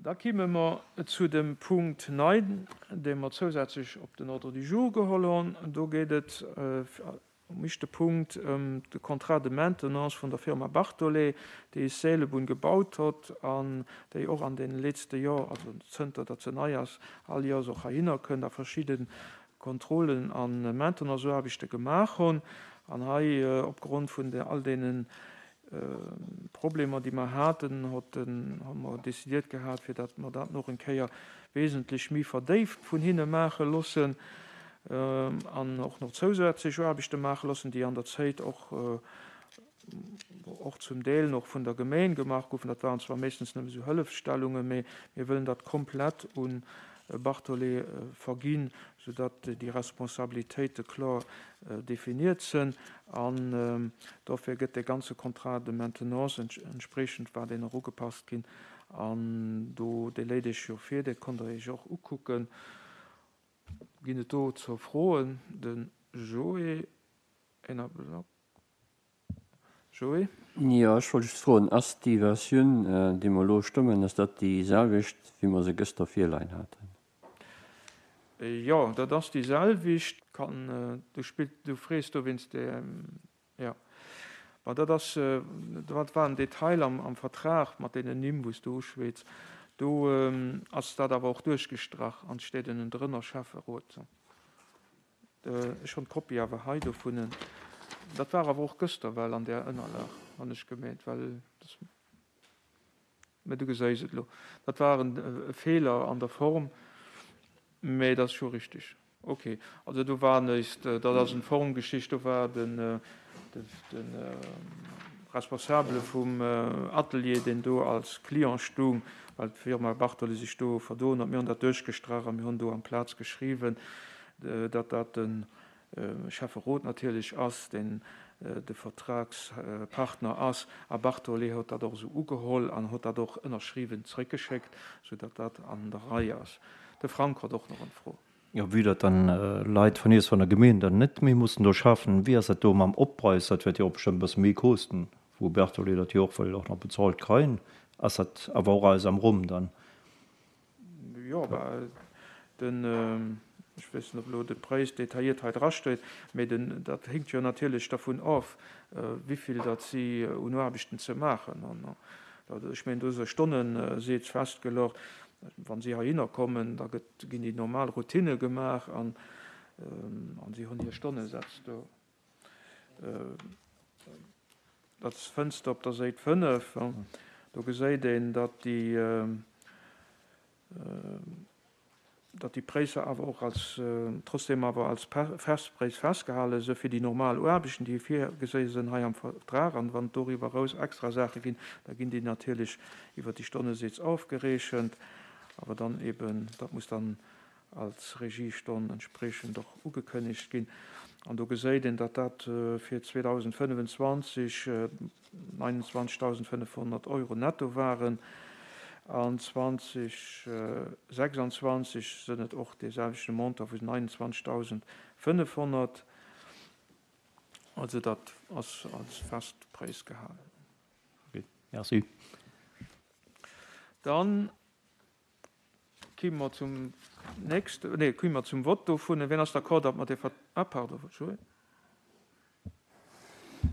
Da kimme mer zu dem Punkt 9, dee mer zousätzlech op den Ordre du jour geholl hunn. Do geet et um éischte Punkt ëm de Contrat de maintenance vun der Firma Bartholet, déi is Seelebunn gebaut hott an déi och an deene letzte Jor, also zënter datt se nei ass, all Jors och heihinner kënnt a verschidde Kontrollen a Maintenanceaarbechte gemaach hunn. An hei opgrond vun all deenen Problemer, déi mer haten, hott den, hu mer décidiert gehat, fir datt mer dat nach eng Kéier wesentlech méi verdéift vun hinne maache loossen an och nach zousätzlech Aarbechte maache loossen, déi an der Zéit och, och zum Deel nach vun der Gemeen gemaach goufen. Dat waren zwar meeschtens nëmme esou Hëllefsstellungen, mee mir wëllen dat komplett un Bartholet verginn, soudatt déi Responsabilitéite kloer definiert sënn. An dofir gëtt dee ganze Contrat de maintenance entspreechend war deen och ugepasst ginn. An do, dee léit Iech jo vir, dee konnt Der Iech och ukucken. Ginn et dozou Froen? De Joé, een Ablack. Joé? Jo, ech wollt just froen, Ass déi Versioun, déi mer elo stëmmen, ass dat déi selwecht, wéi mer se gëschter virleien haten? Jo, dat ass déi selwecht. Kann, du spillt, du frees do wéinst der, jo. Bon, dat ass, dat war en Detail am, am Vertrag mat deenen Nimm, wou s du uschwätz. Do ass dat awer och duerchgestrach an et steet ënnendrënner Schäfferot. Ech hunn d'Kopie awer hei dovunnen. Dat war awer och gëschter well an där Ënnerlag, hunn ech gemeent, well dass, mä du geséis et elo, dat war e Feeler an der Form, mä dat ass scho richtig. Okay, also do war neist, dat ass eng Formgeschicht, do war den, de Responsabele vum Atelier, deen do als Client stung, well d'Firma Bartoli sech do verdoen huet, mir hunn dat duerchgestrach a mir hunn do amplaz geschriwwen, datt dat de Schäfferot natierlech ass, deen de Vertragspartner ass. A Bartoli huet dat och esou ugeholl an huet dat och ënnerschriwwen zréckgeschéckt, soudatt dat an der Rei ass. De Frank huet och nach eng Fro. Jo, vue datt dann Leit vun iech, vun der Gemeen dann net méi mussen do schaffen, wéi ass dat do mam Oppräis? Dat wäert jo och bestëmmt e bësse méi kosten, wou Berthollet dat jo och wëll och nach bezahlt kreien. Ass dat awer och alles am Rumm dann? Jo, bah, den, ech weess net, ob elo de Präis detailliert hei drasteet, mee den, dat hinkt jo natierlech dervun of, wivill datt si un Aarbechten ze maachen hunn. Ech mengen, do ass e Stonnesaz festgeluecht. Wa si heihinner kommen, da gëtt, ginn déi normal Routinne gemaach an si hunn hir Stonnesätz do. Dat fënns de op der Séit 5. Do geséit een, datt déi, datt déi Präisser awer och als, trotzdem awer als Festpräis festgehale së fir déi normal Aarbechten, déi virgesi sënn hei am Vertrag. An wann et doriwwer eraus extra Saache ginn, da ginn déi natierlech iwwer déi Stonnesätz ofgerechent, awer dann eben, dat muss dann als Regiestonn entspriechend och ugekënnegt ginn. An do geséit een, datt dat fir 2025 29.500 Euro netto waren. An 2026 sënn et och dee selwechte Montant vu 29.500. Also dat ass als Festpräis gehalen. Ok, merci. Dann Ki mer zum nächste, nee, ki mer zum Vott dovun. Wien ass d'accord, datt mer dee Vert-, ah, pardon, Joé.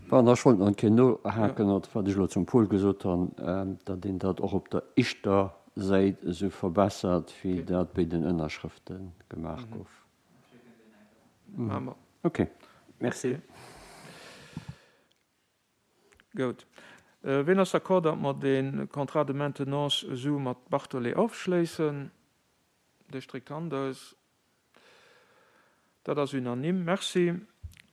Bon, ech wollt nach eng Kéier nohaken, op wat ech elo zum Paul gesot hunn, datt een dat och op der éischter Säit esou verbessert, wéi dat béi den Ënnerschrëfte gemaach gouf. Ok, merci. Goud. Wien ass d'accord, datt mer dee Contrat de maintenance esou mat Bartholet ofschléissen? Dir stréckt d'Hand aus. Dat ass unanime. Merci.